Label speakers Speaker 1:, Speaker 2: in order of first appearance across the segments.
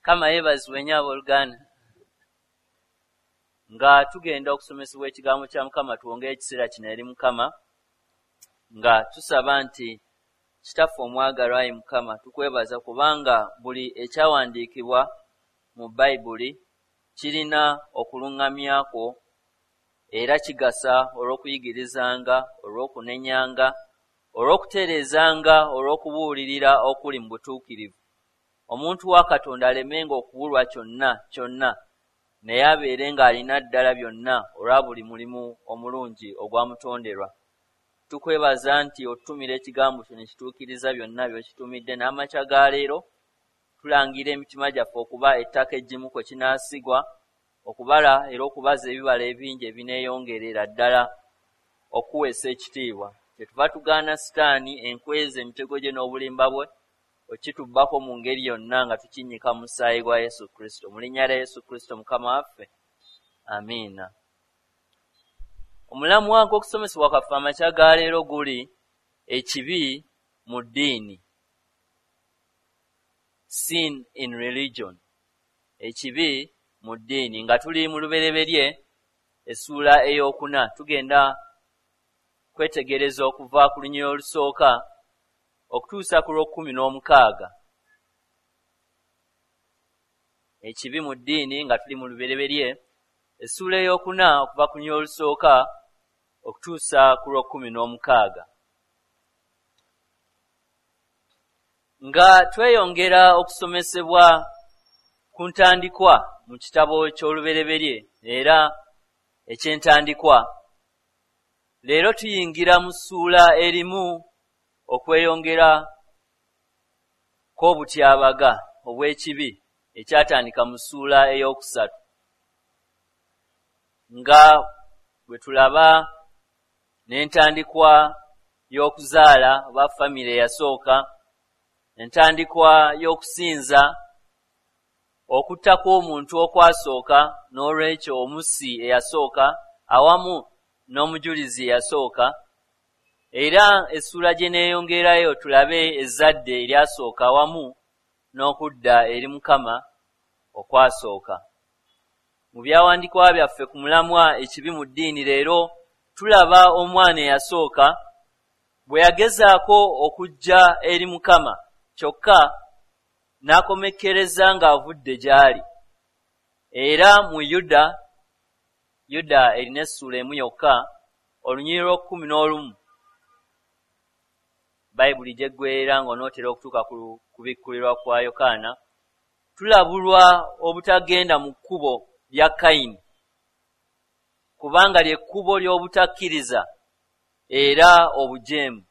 Speaker 1: Mukama yeebazibwe nnyo abooluganda. Nga tugenda okusomesebwa ekigambo kya Mukama, tuwongeyo ekiseera kino eri Mukama nga tusaba nti Kitaffe omwagalwa ayi Mukama, tukwebaza kubanga buli ekyawandiikibwa mu Bayibuli kirina okuluŋŋamya kwo era kigasa olw'okuyigirizanga, olw'okunenyanga, olw'okutereezanga, olw'okubuulirira okuli mu butuukirivu. Omuntu wa Katonda alemenga okubulwa kyonna kyonna, naye abeere ng'alina ddala byonna olwa buli mulimu omulungi ogwamutonderwa. Tukwebaza nti otutumira ekigambo kyo ne kituukiriza byonna by'okitumidde. N'amakya ga leero tulangira emitima gyaffe okuba ettaka eggimu kwe kinaasigwa, okubala era okubaza ebibala ebingi ebineeyongerera ddala okuweesa ekitiibwa. Kyetuva tugaana Sitaani, enkweza, emitego gye n'obulimba bwe okitubbako mu ngeri yonna nga tukinnyika mu musaayi gwa Yesu Kristo. Mu linnya lya Yesu Kristo Mukama waffe, amiina. Omulamwa gw'okusomesebwa kwaffe amakya ga leero guli ekibi mu ddiini. Sin in religion. Ekibi mu ddiini. Nga tuli mu Lubereberye essuula ey'okuna, tugenda kwetegereza okuva ku lunyiriri olusooka okutuusa ku lw'okkumi n'omukaaga. Ekibi mu ddiini nga tuli mu Lubereberye essuula ey'okuna okuva ku lunyiriri olusooka okutuusa ku lw'okkumi n'omukaaga. Nga tweyongera okusomesebwa ku ntandikwa mu kitabo ky'Olubereberye era eky'entandikwa, leero tuyingira mu ssuula erimu okweyongera kw'obutyabaga obw'ekibi ekyatandika mu ssuula ey'okusatu. Nga bwe tulaba n'entandikwa y'okuzaala oba famire eyasooka, entandikwa y'okusinza, okutta kw'omuntu okwasooka, n'olwekyo omussi eyasooka awamu n'omujulizi eyasooka. Era essuula gye neeyongerayo tulabe ezzadde eryasooka awamu n'okudda eri Mukama okwasooka. Mu byawandiikibwa byaffe ku mulamwa ekibi mu ddiini leero tulaba omwana eyasooka bwe yagezaako okujja eri Mukama kyokka n'akomekkereza ng'avudde gy'ali. Era mu Yuda, Yuda erina essuula emu yokka, olunyiriri lw'okkumi n'olumu, Bayibuli gy'eggweerera ng'onootera okutuuka ku kubikkulirwa kwa Yokaana, tulabulwa obutagenda mu kkubo lya Kayini, kubanga lye kkubo ly'obutakkiriza era obujeemu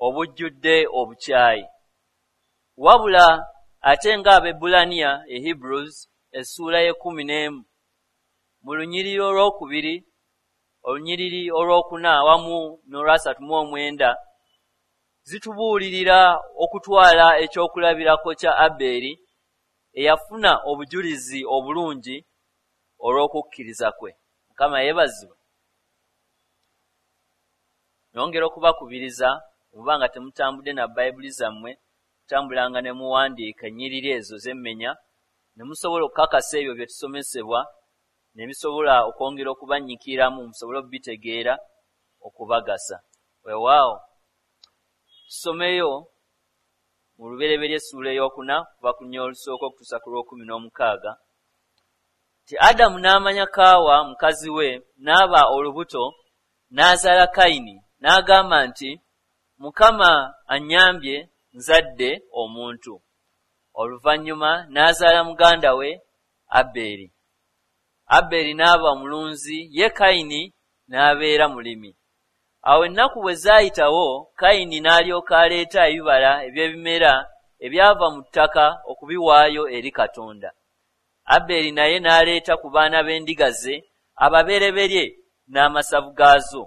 Speaker 1: obujjudde obukyayi. Wabula ate ng'Abaebbulaniya e Hebrews essuula y'ekkumi n'emu mu lunyiriri olwokubiri, olunyiriri olwokuna awamu n'olwasatu mu omwenda zitubuulirira okutwala ekyokulabirako kya Abbeeri eyafuna obujulizi obulungi olw'okukkiriza kwe. Mukama yeebazibwe. Nyongera okubakubiriza oba nga temutambudde na Bayibuli zammwe, kutambulanga ne muwandiika ennyiriri ezo zemmenya ne musobola okukakasa ebyo bye tusomesebwa ne bisobola okwongera okubanyiikiriramu musobole okubitegeera okubagasa. Weewaawo tusomeyo mu Lubereberye essuula ey'okuna kuva ku lunyiriri olusooka okutuusa ku lw'okkumi n'omukaaga nti Adamu n'amanya Kaawa mukazi we n'aba olubuto n'azaala Kayini n'agamba nti Mukama annyambye nzadde omuntu. Oluvannyuma n'azaala muganda we Abbeeri. Abbeeri n'aba omulunzi, ye Kayini n'abeera mulimi. Awo ennaku bwe zaayitawo, Kayini n'alyoka aleeta ebibala eby'ebimera ebyava mu ttaka okubiwaayo eri Katonda. Abbeeri naye n'aleeta ku baana b'endiga ze ababereberye n'amasavu gaazo.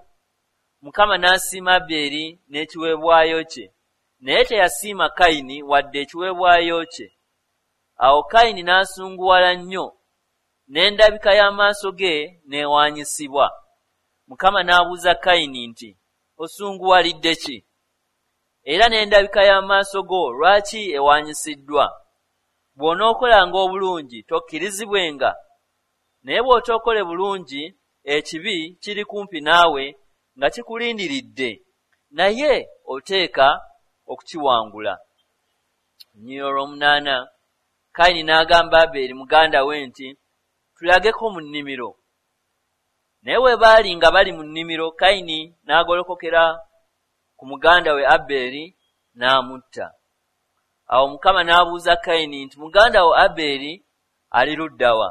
Speaker 1: Mukama n'asiima Abbeeri n'ekiweebwayo kye, naye teyasiima Kayini wadde ekiweebwayo kye. Awo Kayini n'asunguwala nnyo, n'endabika y'amaaso ge n'ewaanyisibwa. Mukama n'abuuza Kayini nti, Osunguwalidde ki? Era n'endabika y'amaaso go lwaki ewaanyisiddwa? Bw'onookolanga obulungi tokkirizibwenga, naye bw'otookole bulungi ekibi kiri kumpi naawe nga kikulindiridde, naye oteeka okukiwangula. Olunyiriri olw'omunaana, Kayini n'agamba Abeeri muganda we nti, Tulageko mu nnimiro. Naye bwe baali nga bali mu nnimiro, Kayini n'agolokokera ku muganda we Abeeri n'amutta. Awo Mukama n'abuuza Kayini nti, Muganda wo Abeeri ali ludda wa?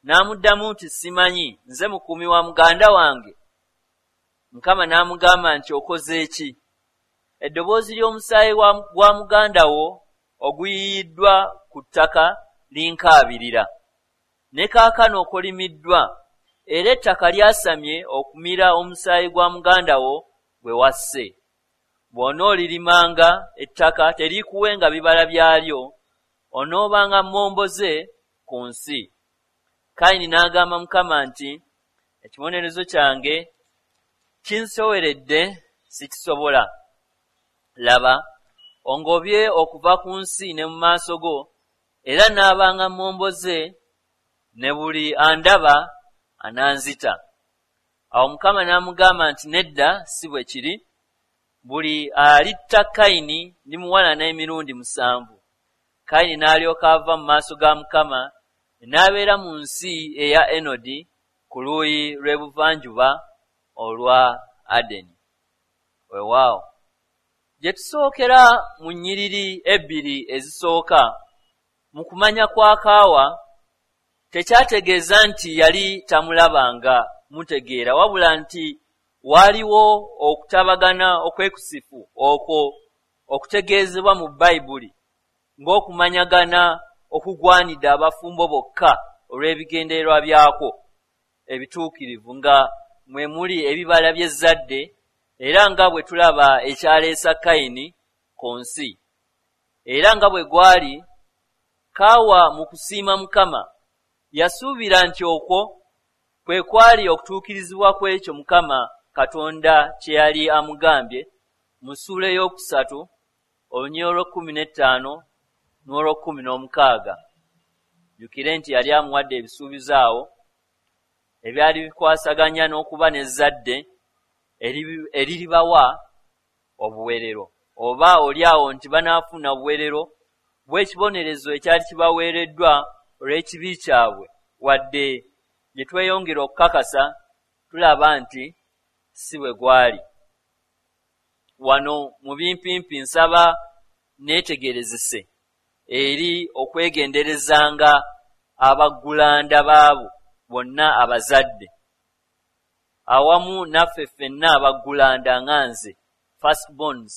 Speaker 1: N'amuddamu nti, Simanyi, nze mukuumi wa muganda wange? Mukama n'amugamba nti, Okoze ki? Eddoboozi ly'omusaayi gwa muganda wo oguyiyiddwa ku ttaka linkaabirira. Ne kaakano okolimiddwa, era ettaka lyasamye okumira omusaayi gwa muganda wo gwe wasse. Bw'onoolirimanga ettaka teriikuwenga bibala byalyo, onoobanga mmomboze ku nsi. Kayini n'agamba Mukama nti, Ekibonerezo kyange kinsoweredde, sikisobola. Laba, ongobye okuva ku nsi ne mu maaso go, era naabanga mmomboze, ne buli andaba ananzita. Awo Mukama n'amugamba nti, Nedda, si bwe kiri. Buli alitta Kayini ndimuwalana emirundi 7. Kayini n'alyoka ava mu maaso ga Mukama, n'abeera mu nsi eya Enodi ku luuyi lw'ebuvanjuba olwa Adeni. Weewaawo, gye tusookera mu nnyiriri ebbiri ezisooka, mu kumanya kwa Kaawa tekyategeeza nti yali tamulabanga mutegeera, wabula nti waaliwo okutabagana okwekusifu okwo okutegeezebwa mu Bayibuli ng'okumanyagana okugwanidde abafumbo bokka olw'ebigendererwa byakwo ebituukirivu nga mwe muli ebibala by'ezzadde, era nga bwe tulaba ekyaleesa Kayini ku nsi. Era nga bwe gwali, Kaawa mu kusiima Mukama, yasuubira nti okwo kwe kwali okutuukirizibwa kw'ekyo Mukama Katonda kye yali amugambye mu ssuula ey'okusatu olunyiriri olw'ekkumi n'ettaano n'olw'ekkumi n'omukaaga. Jjukire nti yali amuwadde ebisuubizo awo ebyali bikwasaganya n'okuba n'ezzadde eriribawa obuweerero, oba oli awo nti banaafuna obuweerero bw'ekibonerezo ekyali kibaweereddwa olw'ekibi kyabwe, wadde gye tweyongera okukakasa tulaba nti si bwe gwali. Wano mu bimpimpi nsaba neetegerezese eri okwegenderezanga abaggulanda b'abo bonna abazadde, awamu naffe ffenna abaggulanda nga nze, firstborns,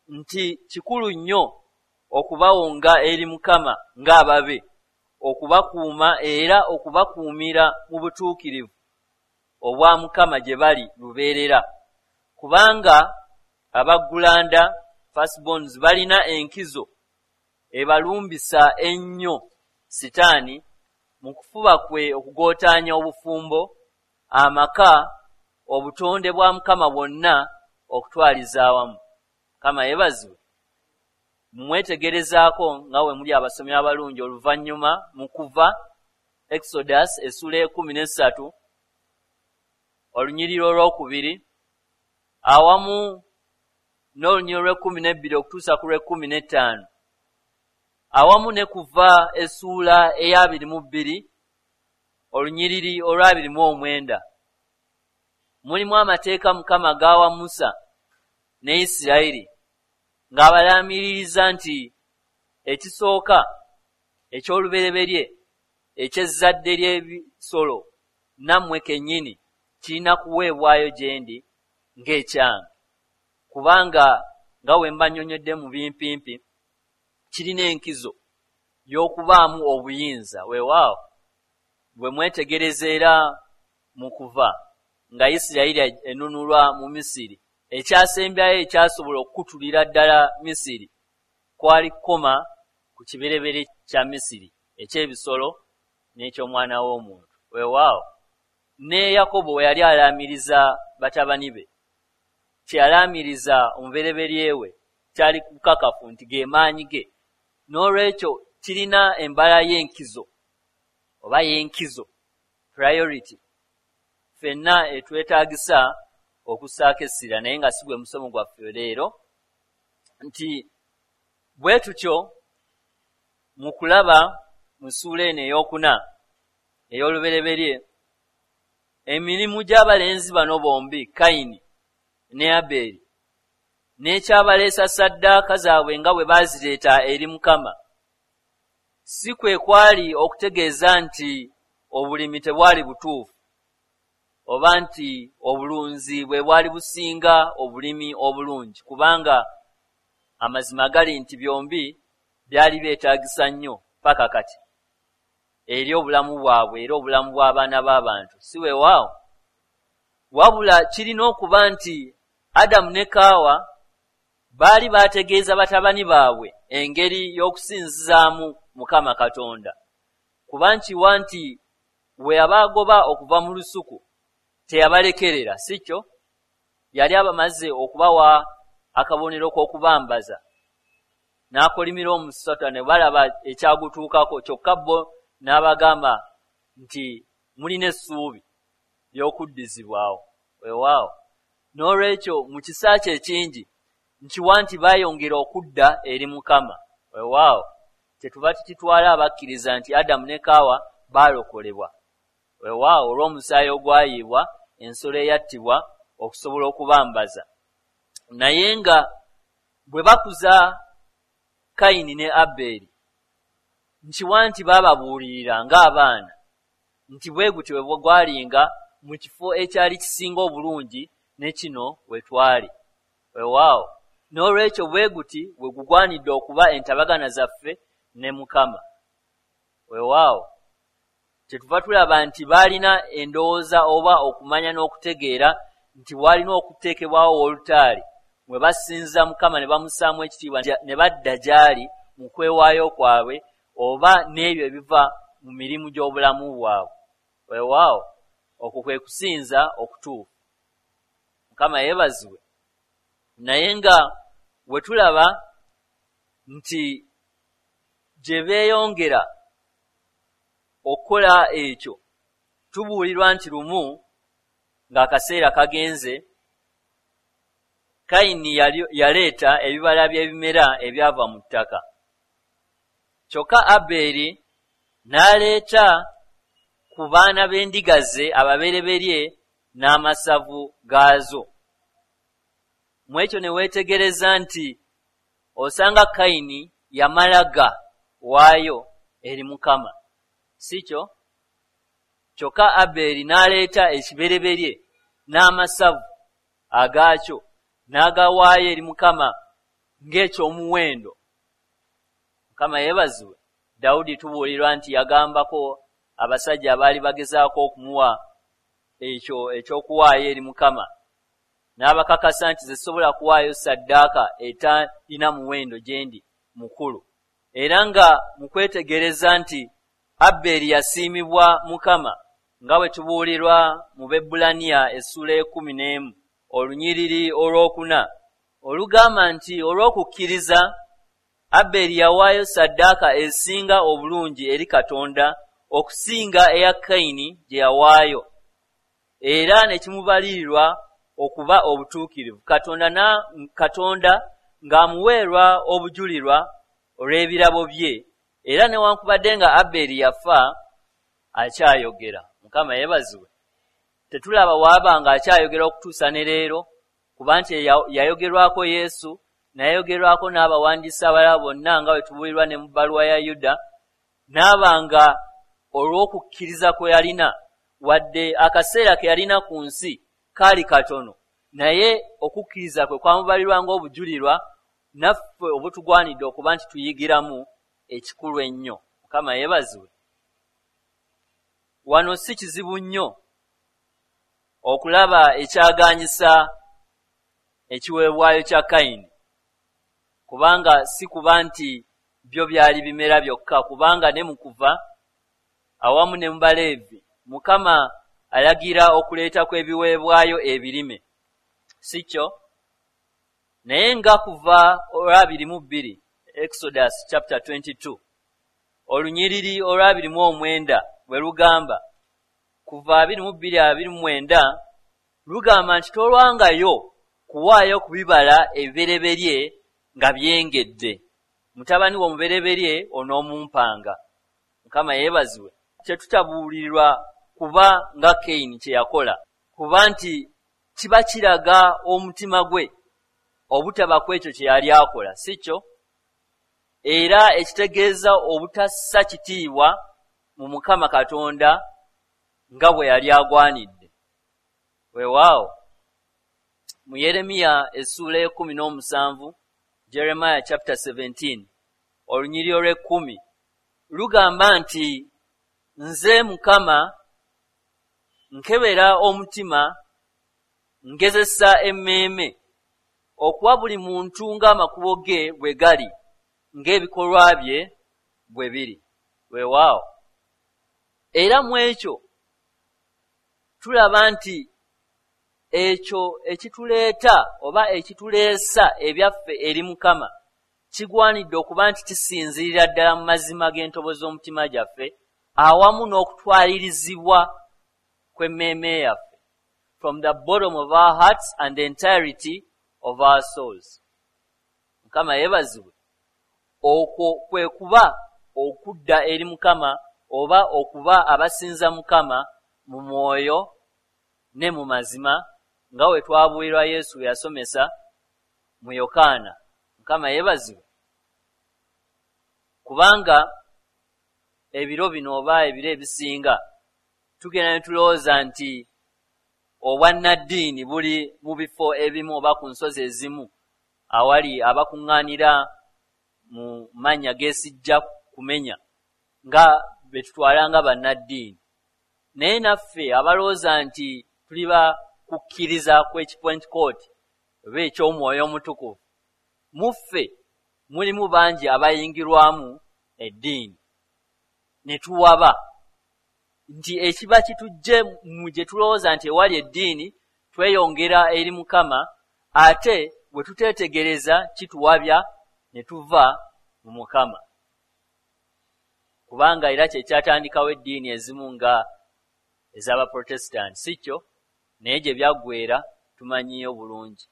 Speaker 1: nti kikulu nnyo okubawonga eri Mukama ng'ababe, okubakuuma era okubakuumira mu butuukirivu obwa Mukama gye bali lubeerera, kubanga abaggulanda, firstborns, balina enkizo ebalumbisa ennyo Sitaani mu kufuba kwe okugootaanya obufumbo, amaka, obutonde bwa Mukama bwonna okutwaliza awamu. Mukama yeebazibwe. Mumwetegerezaako nga bwe muli abasomi abalungi oluvannyuma mu Kuva, Exodus, essuula ey'ekkumi n'essatu olunyiriri olwokubiri awamu n'olunyiriri olw'ekkumi n'ebbiri okutuusa ku lw'ekkumi n'ettaano, awamu ne Kuva essuula ey'abiri mu bbiri olunyiriri olw'abiri mu omwenda. Mulimu amateeka Mukama g'awa Musa ne Isirayiri ng'abalaamiririza nti ekisooka eky'olubereberye eky'ezzadde ly'ebisolo nammwe kennyini kirina kuweebwayo gye ndi ng'ekyange, kubanga nga bwe mba nnyonnyodde mu bimpimpi kirina enkizo y'okubaamu obuyinza. Weewaawo, bwe mwetegereza era mu Kuva nga Isirayiri enunulwa mu Misiri, ekyasembyayo ekyasobola okukutulira ddala Misiri kwali kukoma ku kibereberye kya Misiri eky'ebisolo n'eky'omwana w'omuntu. Weewaawo, ne Yakobo we yali alaamiriza batabani be, kye yalaamiriza omubereberye we kyali bukakafu nti ge maanyi ge. N'olwekyo kirina embala y'enkizo oba y'enkizo, priority, ffenna etwetaagisa okussaako essira, naye nga si gwe musomo gwaffe leero. Nti bwe tutyo mu kulaba mu ssuula eno ey'okuna ey'olubereberye, emirimu gy'abalenzi bano bombi, Kayini ne Abeeri, n'ekyabaleesa ssaddaaka zaabwe nga bwe baazireeta eri Mukama, si kwe kwali okutegeeza nti obulimi tebwali butuufu oba nti obulunzi bwe bwali businga obulimi obulungi, kubanga amazima gali nti byombi byali byetaagisa nnyo paka kati eri obulamu bwabwe era obulamu bw'abaana b'abantu, si weewaawo? Wabula kirina okuba nti Adamu ne Kaawa baali baategeeza batabani baabwe engeri y'okusinzizaamu Mukama Katonda, kuba nkiwa nti bwe yabaagoba okuva mu lusuku teyabalekerera, si kyo? Yali abamaze okubawa akabonero k'okubambaza, n'akolimira omusota ne balaba ekyagutuukako, kyokka bo n'abagamba nti mulina essuubi ly'okuddizibwawo. Weewaawo. N'olwekyo mu kisa kye ekingi nkiwa nti baayongera okudda eri Mukama. Weewaawo. Kyetuva tukitwala abakkiriza nti Adamu ne Kaawa baalokolebwa. Weewaawo, olw'omusaayi ogwayiibwa, ensolo eyattibwa okusobola okubambaza. Naye nga bwe bakuza Kayini ne Abbeeri, nkiwa nti baababuulirira ng'abaana nti bwe gutyo bwe gwalinga mu kifo ekyali kisinga obulungi ne kino we twali. Weewaawo, n'olwekyo bwe guti bwe gugwanidde okuba entabagana zaffe ne Mukama. Weewaawo, kyetuva tulaba nti baalina endowooza oba okumanya n'okutegeera nti waalina okuteekebwawo wolutaali mwe basinza Mukama ne bamussaamu ekitiibwa ne badda gy'ali mu kwewaayo kwabwe oba n'ebyo ebiva mu mirimu gy'obulamu bwabwe. Weewaawo, okwo kwe kusinza okutuufu. Mukama yeebazibwe. Naye nga we tulaba nti gye beeyongera okukola ekyo, tubuulirwa nti lumu ng'akaseera kagenze, Kayini yaleeta ebibala by'ebimera ebyava mu ttaka, kyokka Abbeeri n'aleeta ku baana b'endiga ze ababereberye n'amasavu gaazo. Mu ekyo ne weetegereza nti osanga Kayini yamala ga waayo eri Mukama, si kyo? Kyokka Abbeeri n'aleeta ekibereberye n'amasavu agaakyo n'agawaayo eri Mukama ng'eky'omuwendo. Mukama yeebazibwe. Dawudi tubuulirwa nti yagambako abasajja abaali bagezaako okumuwa ekyo eky'okuwaayo eri Mukama, n'abakakasa nti ze sisobola kuwaayo ssaddaaka etalina muwendo gye ndi mukulu. Era nga mu kwetegereza nti Abbeeri yasiimibwa Mukama, nga bwe tubuulirwa mu Bebbulaniya essuula ey'ekkumi n'emu olunyiriri olw'okuna, olugamba nti olw'okukkiriza Abbeeri yawaayo ssaddaaka esinga obulungi eri Katonda okusinga eya Kayini gye yawaayo, era ne kimubalirirwa okuba obutuukirivu, Katonda na, Katonda ng'amuweerwa obujulirwa olw'ebirabo bye, era newankubadde nga Abbeeri yafa, akyayogera. Mukama yeebazibwe. Tetulaba waaba ng'akyayogera okutuusa ne leero, kuba nti yayogerwako Yesu, n'ayogerwako n'abawandiisi abalala bonna nga bwe tubuulirwa ne mu bbaluwa ya Yuda, n'aba nga olw'okukkiriza kwe yalina, wadde akaseera ke yalina ku nsi kaali katono, naye okukkiriza kwe kwamubalirwa ng'obujulirwa naffe obutugwanidde okuba nti tuyigiramu ekikulu ennyo. Mukama yeebazibwe. Wano si kizibu nnyo okulaba ekyagaanyisa ekiweebwayo kya Kayini, kubanga si kuba nti byo byali bimera byokka, kubanga ne mu Kuva awamu ne mu Baleevi Mukama alagira okuleeta kw'ebiweebwayo ebirime, si kyo? Naye nga Kuva olw'abiri mu bbiri, Exodus chapter 22. Olunyiriri olwa29 bwe lugamba, kuva 22:29 lugamba nti tolwangayo kuwaayo ku bibala ebibereberye nga byengedde. Mutabani wo omubereberye onoomumpanga. Mukama yeebazibwe. Tetutabuulirwa kuba nga Kayini kye yakola, kuba nti kiba kiraga omutima gwe obutaba ku ekyo kye yali akola, si kyo? Era ekitegeeza obutassa kitiibwa mu Mukama Katonda nga bwe yali agwanidde. Weewaawo, mu Yeremiya essuula ey'e17, Jeremiah chapter 17, olunyiriri olw'ekkumi lugamba nti, Nze Mukama nkebera omutima, ngezesa emmeeme, okuwa buli muntu ng'amakubo ge bwe gali, ng'ebikolwa bye bwe biri. Weewaawo, era mu ekyo tulaba nti ekyo ekituleeta oba ekituleesa ebyaffe eri Mukama kigwanidde okuba nti kisinziirira ddala mu mazima g'entobo z'omutima gyaffe awamu n'okutwalirizibwa kw'emmeeme yaffe, from the bottom of our hearts and the entirety of our souls. Mukama yeebazibwe. Okwo kwe kuba okudda eri Mukama oba okuba abasinza Mukama mu mwoyo ne mu mazima, nga bwe twabuulirwa Yesu bwe yasomesa mu Yokaana. Mukama yeebazibwe. Kubanga ebiro bino oba ebiro ebisinga tugenda ne tulowooza nti obwannaddiini buli mu bifo ebimu oba ku nsozi ezimu awali abakuŋŋaanira mu mannya gesijja kumenya nga be tutwala nga bannaddiini. Naye naffe abalowooza nti tuli ba kukkiriza kw'Ekipentekooti oba eky'Omwoyo Omutukuvu, mu ffe mulimu bangi abayingirwamu eddiini ne tuwaba nti ekiba kitujje mu gye tulowooza nti ewali eddiini tweyongera eri Mukama, ate bwe tuteetegereza kituwabya ne tuva mu Mukama. Kubanga era kye kyatandikawo eddiini ezimu nga ez'Abaprotestanti, si kyo? Naye gye byaggweera tumanyiyo bulungi.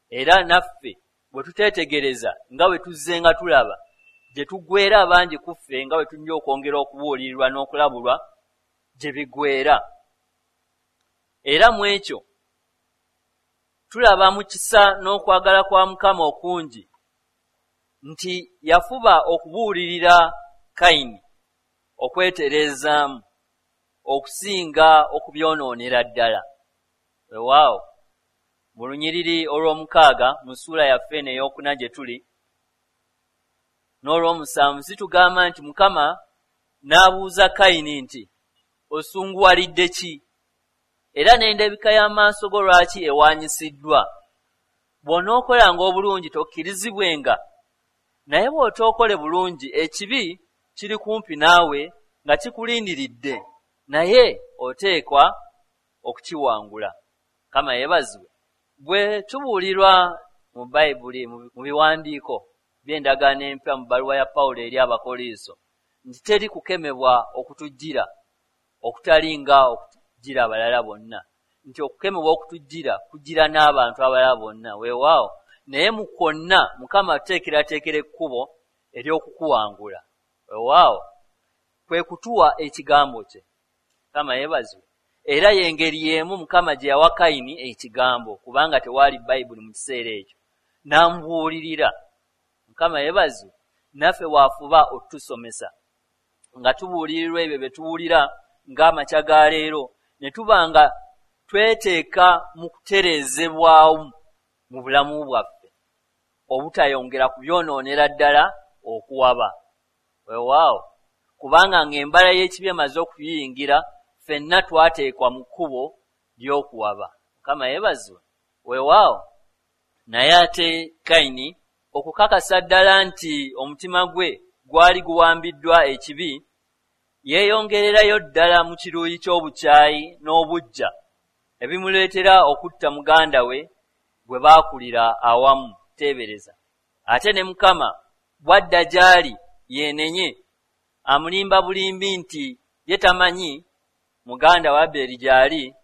Speaker 1: Era naffe bwe tuteetegereza nga bwe tuzzenga tulaba gye tuggweera abangi ku ffe nga bwe tulina okwongera okubuulirirwa n'okulabulwa gye biggweera. Era mu ekyo tulaba mu kisa n'okwagala kwa Mukama okungi nti yafuba okubuulirira Kayini okwetereezaamu okusinga okubyonoonera ddala. Weewaawo, mu lunyiriri olw'omukaaga mu ssuula yaffe eno ey'okuna gye tuli, n'olw'omusanvu zitugamba nti Mukama n'abuuza Kayini nti, Osunguwalidde ki? Era n'endabika y'amaaso go lwaki ewaanyisiddwa? Bw'onookolanga obulungi tokkirizibwenga? Naye bw'otookole bulungi, ekibi kiri kumpi naawe nga kikulindiridde, naye oteekwa okukiwangula. Mukama yeebazibwe. Bwe tubuulirwa mu Bayibuli, mu biwandiiko by'Endagaano Empya mu bbaluwa ya Pawulo eri Abakoliiso, nti teri kukemebwa okutujjira okutali nga okujjira abalala bonna, nti okukemebwa okutujjira kujjira n'abantu abalala bonna. Weewaawo, naye mu kwonna Mukama atuteekerateekera ekkubo ery'okukuwangula. Weewaawo, kwe kutuwa ekigambo kye. Mukama yeebazibwe. Era y'engeri y'emu Mukama gye yawa Kayini ekigambo, kubanga tewaali Bayibuli mu kiseera ekyo, n'amubuulirira. Mukama yeebazibwe. Naffe bw'afuba otutusomesa nga tubuulirirwa ebyo bye tuwulira ng'amakya ga leero, ne tuba nga tweteeka mu kutereezebwamu mu bulamu bwaffe, obutayongera kubyonoonera ddala okuwaba. Weewaawo, kubanga ng'embala y'ekibi emaze okuyingira, ffenna twateekwa mu kkubo ly'okuwaba. Mukama yeebazibwe. Weewaawo. Naye ate Kayini, okukakasa ddala nti omutima gwe gwali guwambiddwa ekibi, yeeyongererayo ddala mu kiruyi ky'obukyayi n'obuggya ebimuleetera okutta muganda we gwe baakulira awamu. Teebereza! Ate ne Mukama bw'adda gy'ali yeenenye, Amulimba bulimbi nti ye tamanyi muganda wa Abbeeri gy'ali,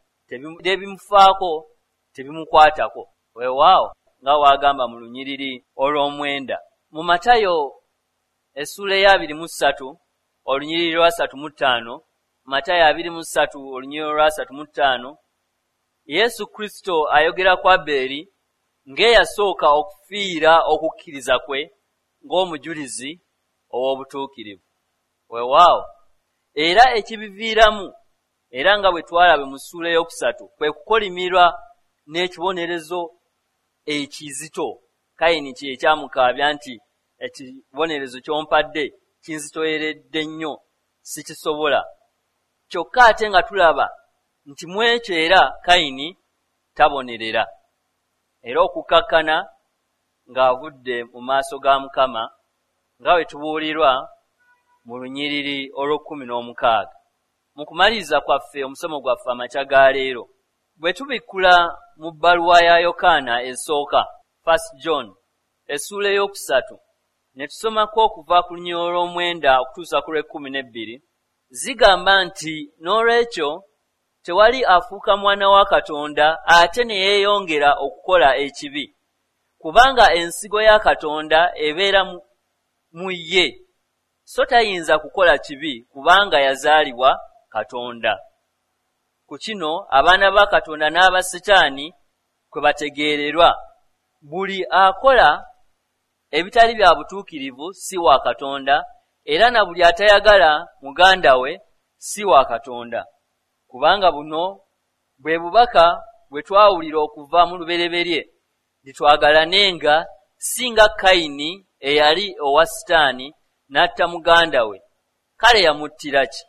Speaker 1: tebimufaako, tebimukwatako. Weewaawo nga w'agamba mu lunyiriri olw'omwenda. Mu Matayo essuula eya 23 olunyiriri lwa 35, Matayo 23 olunyiriri lwa 35, Yesu Kristo ayogera ku Abbeeri ng'eyasooka okufiira okukkiriza kwe ng'omujulizi ow'obutuukirivu. Weewaawo era ekibiviiramu, era nga bwe twalabe mu ssuula ey'okusatu, kwe kukolimirwa n'ekibonerezo ekizito. Kayini kye kyamukaabya nti ekibonerezo ky'ompadde kinzitoyeredde nnyo, sikisobola. Kyokka ate nga tulaba nti mu ekyo era Kayini tabonerera, era okukkakkana ng'avudde mu maaso ga Mukama, nga bwe tubuulirwa mu lunyiriri olw'okkumi n'omukaaga. Mu kumaliriza kwaffe omusomo gwaffe amakya ga leero, bwe tubikkula mu bbaluwa ya Yokaana esooka, First John, essuula 3, ne tusomako okuva ku lunyiriri olw'omwenda okutuusa ku lw'ekkumi n'ebbiri, zigamba nti n'olwekyo tewali afuuka mwana wa Katonda ate ne yeeyongera okukola ekibi, kubanga ensigo ya Katonda ebeera mu ye, so tayinza kukola kibi kubanga yazaalibwa Katonda. Ku kino abaana ba Katonda n'aba Sitaani kwe bategeererwa: buli akola ebitali bya butuukirivu si wa Katonda, era na buli atayagala muganda we si wa Katonda. Kubanga buno bwe bubaka bwe twawulira okuva mu lubereberye, nti twagalanenga, si nga Kayini eyali owa Sitaani n'atta muganda we. Kale yamuttira ki?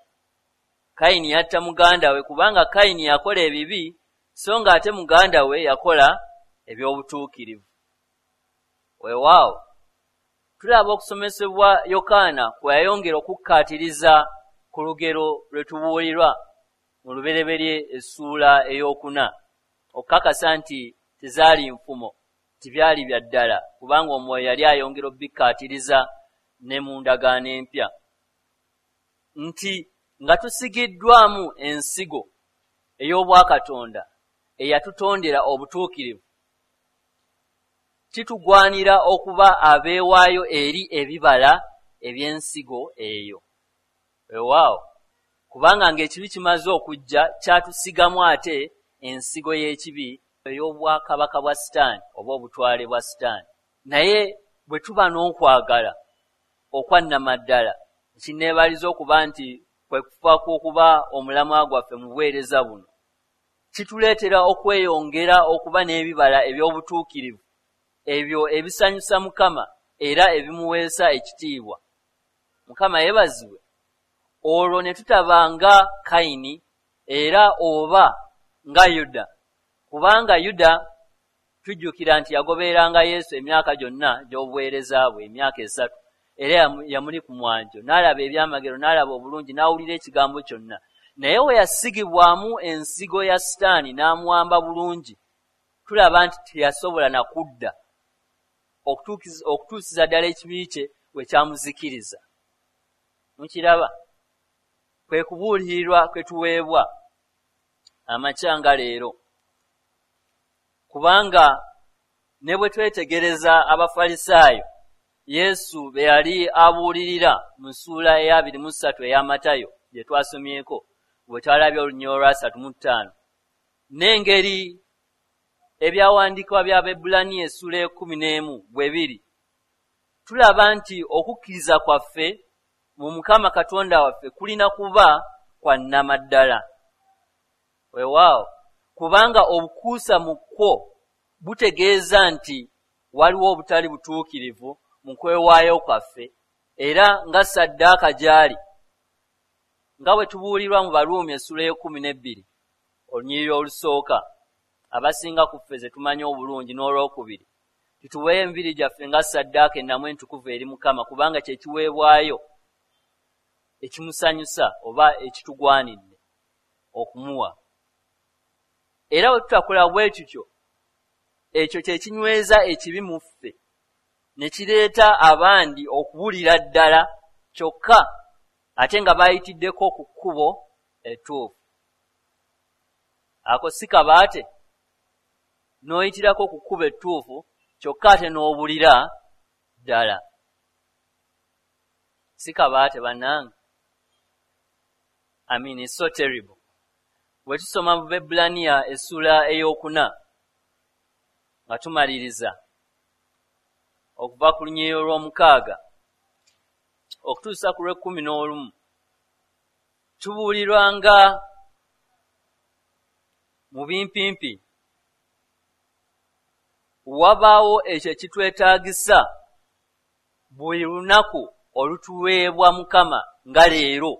Speaker 1: Kayini yatta muganda we kubanga Kayini yakola ebibi, so ng'ate muganda we yakola eby'obutuukirivu. Weewaawo tulaba okusomesebwa Yokaana kwe yayongera okukkaatiriza ku lugero lwe tubuulirwa mu Lubereberye essuula 4, okukakasa nti tezaali nfumo, tibyali bya ddala, kubanga Omwoyo yali ayongera okubikkaatiriza ne mu ndagaano empya, nti nga tusigiddwamu ensigo ey'obwakatonda eyatutondera obutuukirivu, kitugwanira okuba abeewaayo eri ebibala eby'ensigo eyo. Weewaawo kubanga ng'ekibi kimaze okujja, kyatusigamu ate ensigo y'ekibi ey'obwakabaka bwa Sitaani oba obutwale bwa Sitaani. Naye bwe tuba n'okwagala okwannamaddala, ekinneebaliza okuba nti kwe kufa kw'okuba omulamwa gwaffe mu buweereza buno, kituleetera okweyongera okuba n'ebibala eby'obutuukirivu, ebyo ebisanyusa Mukama era ebimuweesa ekitiibwa. Mukama yeebazibwe. Olwo ne tutaba nga Kayini era oba nga Yuda, kubanga Yuda tujjukira nti yagobereranga Yesu emyaka gyonna gy'obuweereza bwe, emyaka 3, era yamuli ku mwanjo, n'alaba ebyamagero, n'alaba obulungi, n'awulira ekigambo kyonna. Naye we yasigibwamu ensigo ya Sitaani n'amuwamba bulungi, tulaba nti teyasobola na kudda okutuusiza ddala ekibi kye we kyamuzikiriza. Mukiraba, kwe kubuulirirwa kwe tuweebwa amakya nga leero, kubanga ne bwe twetegereza Abafalisaayo Yesu be yali abuulirira mu ssuula eya 23 eya Matayo gye twasomyeko, bwe twalabye olunyiriri olwa 35, n'engeri ebyawandiikibwa by'Abaebbulaniya essuula 11 bwe biri, tulaba nti okukkiriza kwaffe mu Mukama Katonda waffe kulina kuba kwa nnamaddala. Weewaawo kubanga obukuusa mu kwo butegeeza nti waliwo obutali butuukirivu mu kwewaayo kwaffe, era nga ssaddaaka gy'ali, nga bwe tubuulirwa mu Baruumi essuula 12 olunyiriri olusooka, abasinga ku ffe ze tumanyi obulungi, n'olwokubiri, tutuweeyo emibiri gyaffe nga ssaddaaka ennamu entukuvu eri Mukama, kubanga kye kiweebwayo ekimusanyusa oba ekitugwanidde okumuwa. Era bwe tutakola bwe tutyo, ekyo kye kinyweza ekibi mu ffe ne kireeta abandi okuwulira ddala kyokka Ate nga bayitiddeko ku kkubo ettuufu. Ako si kabaate, n'oyitirako ku kkubo ettuufu kyokka ate n'obulira ddala. Si kabaate bannange? I mean, it's so terrible. Bwe tusoma mu Baebbulaniya essuula ey'okuna nga tumaliriza okuva ku lunyiriri olw'omukaaga okutuusa ku lw'ekkumi n'olumu, tubuulirwa nga mu bimpimpi wabaawo ekyo ekitwetaagisa buli lunaku olutuweebwa Mukama nga leero,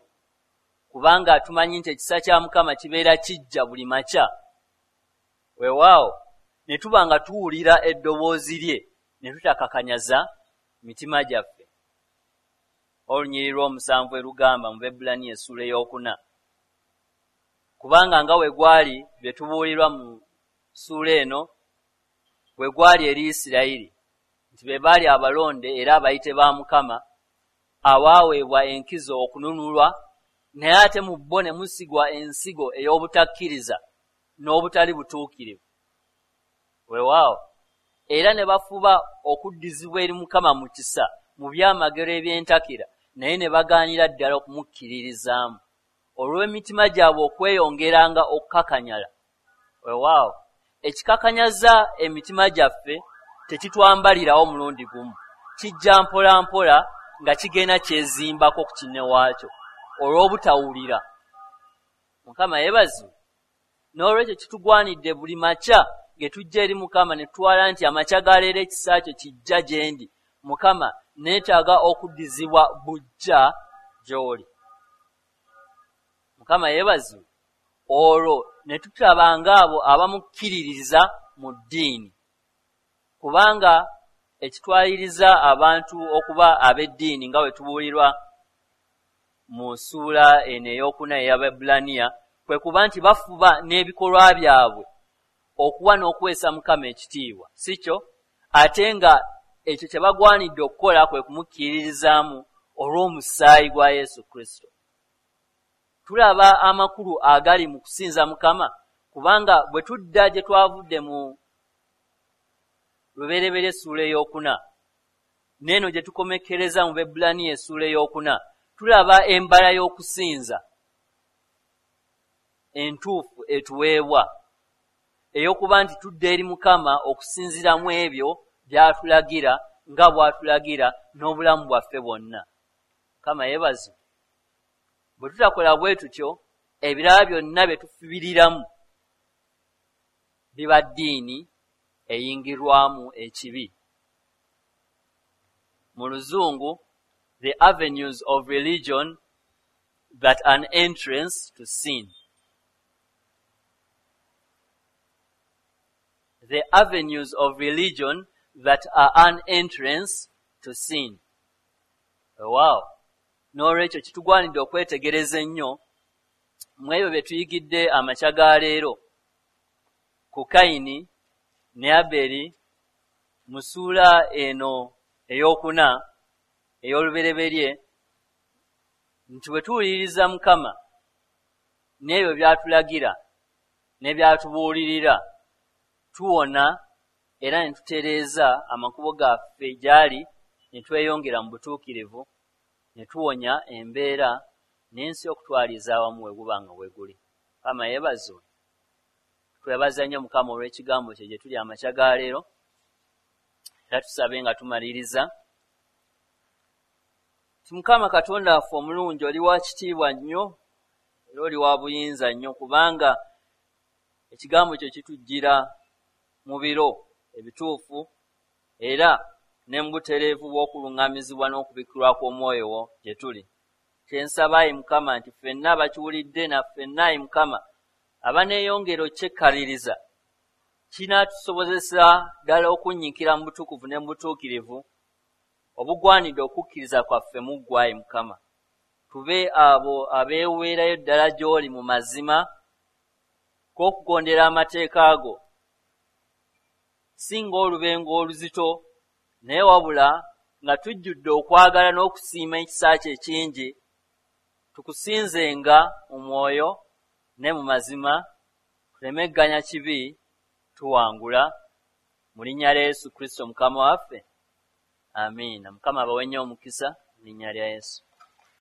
Speaker 1: kubanga tumanyi nti ekisa kya Mukama kibeera kijja buli makya. Weewaawo ne tuba nga tuwulira eddoboozi lye ne tutakakanyaza mitima gyaffe. Olunyiriri lw'omusanvu erugamba mu Baebbulaniya essuula ey'okuna, kubanga nga bwe gwali bye tubuulirwa mu ssuula eno bwe gwali eri Isirayiri, nti be baali abalonde era abayite ba Mukama abaaweebwa enkizo okununulwa, naye ate mu bo ne musigwa ensigo ey'obutakkiriza n'obutali butuukirivu. Weewaawo era ne bafuba okuddizibwa eri Mukama mu kisa mu byamagero eby'entakera, naye ne bagaanira ddala okumukkiririzaamu olw'emitima gyabwe okweyongeranga okukakanyala. Weewaawo ekikakanyaza emitima gyaffe tekitwambalirawo mulundi gumu, kijja mpola mpola nga kigenda kyezimbako ku kinne waakyo olw'obutawulira. Mukama yeebazibwe. N'olwekyo kitugwanidde buli makya ge tujja eri Mukama ne tutwala nti amakya ga leero ekisa kyo kijja gye ndi, Mukama neetaaga okuddizibwa buggya gy'oli. Mukama yeebazibwe. Olwo ne tutaba ng'abo abamukkiririza mu ddiini, kubanga ekitwaliriza abantu okuba ab'eddiini nga bwe tubuulirwa mu ssuula eno ey'okuna ey'Abaebbulaniya kwe kuba nti bafuba n'ebikolwa byabwe okuwa n'okuweesa Mukama ekitiibwa, si kyo? Ate nga ekyo kye bagwanidde okukola kwe kumukkiririzaamu olw'omusaayi gwa Yesu Kristo. Tulaba amakulu agali mu kusinza Mukama, kubanga bwe tudda gye twavudde mu Lubereberye essuula ey'okuna n'eno gye tukomekkereza mu Baebbulaniya essuula ey'okuna, tulaba embala y'okusinza entuufu etuweebwa ey'okuba nti tudda eri Mukama okusinziira mu ebyo by'atulagira nga bw'atulagira n'obulamu bwaffe bwonna. Mukama yeebazibwe. Bwe tutakola bwe tutyo, ebirala byonna bye tufubiriramu biba ddiini eyingirwamu ekibi. Mu Luzungu, the avenues of religion that an entrance to sin. The avenues of religion that are an entrance to sin. Wow. N'olwekyo kitugwanidde okwetegereza ennyo mu ebyo bye tuyigidde amakya ga leero ku Kayini ne Aberi mu ssuula eno ey'okuna ey'olubereberye, nti bwe tuwuliriza Mukama n'ebyo by'atulagira ne by'atubuulirira, tuwona era ne tutereeza amakubo gaffe gy'ali, ne tweyongera mu butuukirivu, ne tuwonya embeera n'ensi okutwaliza awamu we guba nga bwe guli. Mukama yeebazibwe. Twebaza nnyo Mukama olw'ekigambo kye gye tuli amakya ga leero, era tusabe nga tumaliriza nti Mukama Katonda waffe omulungi, oli wa kitiibwa nnyo era oli wa buyinza nnyo, kubanga ekigambo kyo kitujjira mu biro ebituufu era ne mu butereevu bw'okuluŋŋamizibwa n'okubikkulwa kw'omwoyo wo gye tuli. Kye nsaba ayi Mukama nti ffenna abakiwulidde na ffenna ayi Mukama abaneeyongera okyekkaliriza, kinaatusobozesa ddala okunnyikira mu butukuvu ne mu butuukirivu obugwanidde okukkiriza kwaffe mu ggwe ayi Mukama. Tube abo abeeweerayo ddala gy'oli mu mazima g'okugondera amateeka go, si ng'olubengo oluzito, naye wabula nga tujjudde okwagala n'okusiima ekisa kyo ekingi Tukusinzenga mu mwoyo ne mu mazima, tuleme gganya kibi, tuwangula. Mu linnya lya Yesu Kristo Mukama waffe, amiina. Mukama abawe nnyo omukisa mu linnya lya Yesu.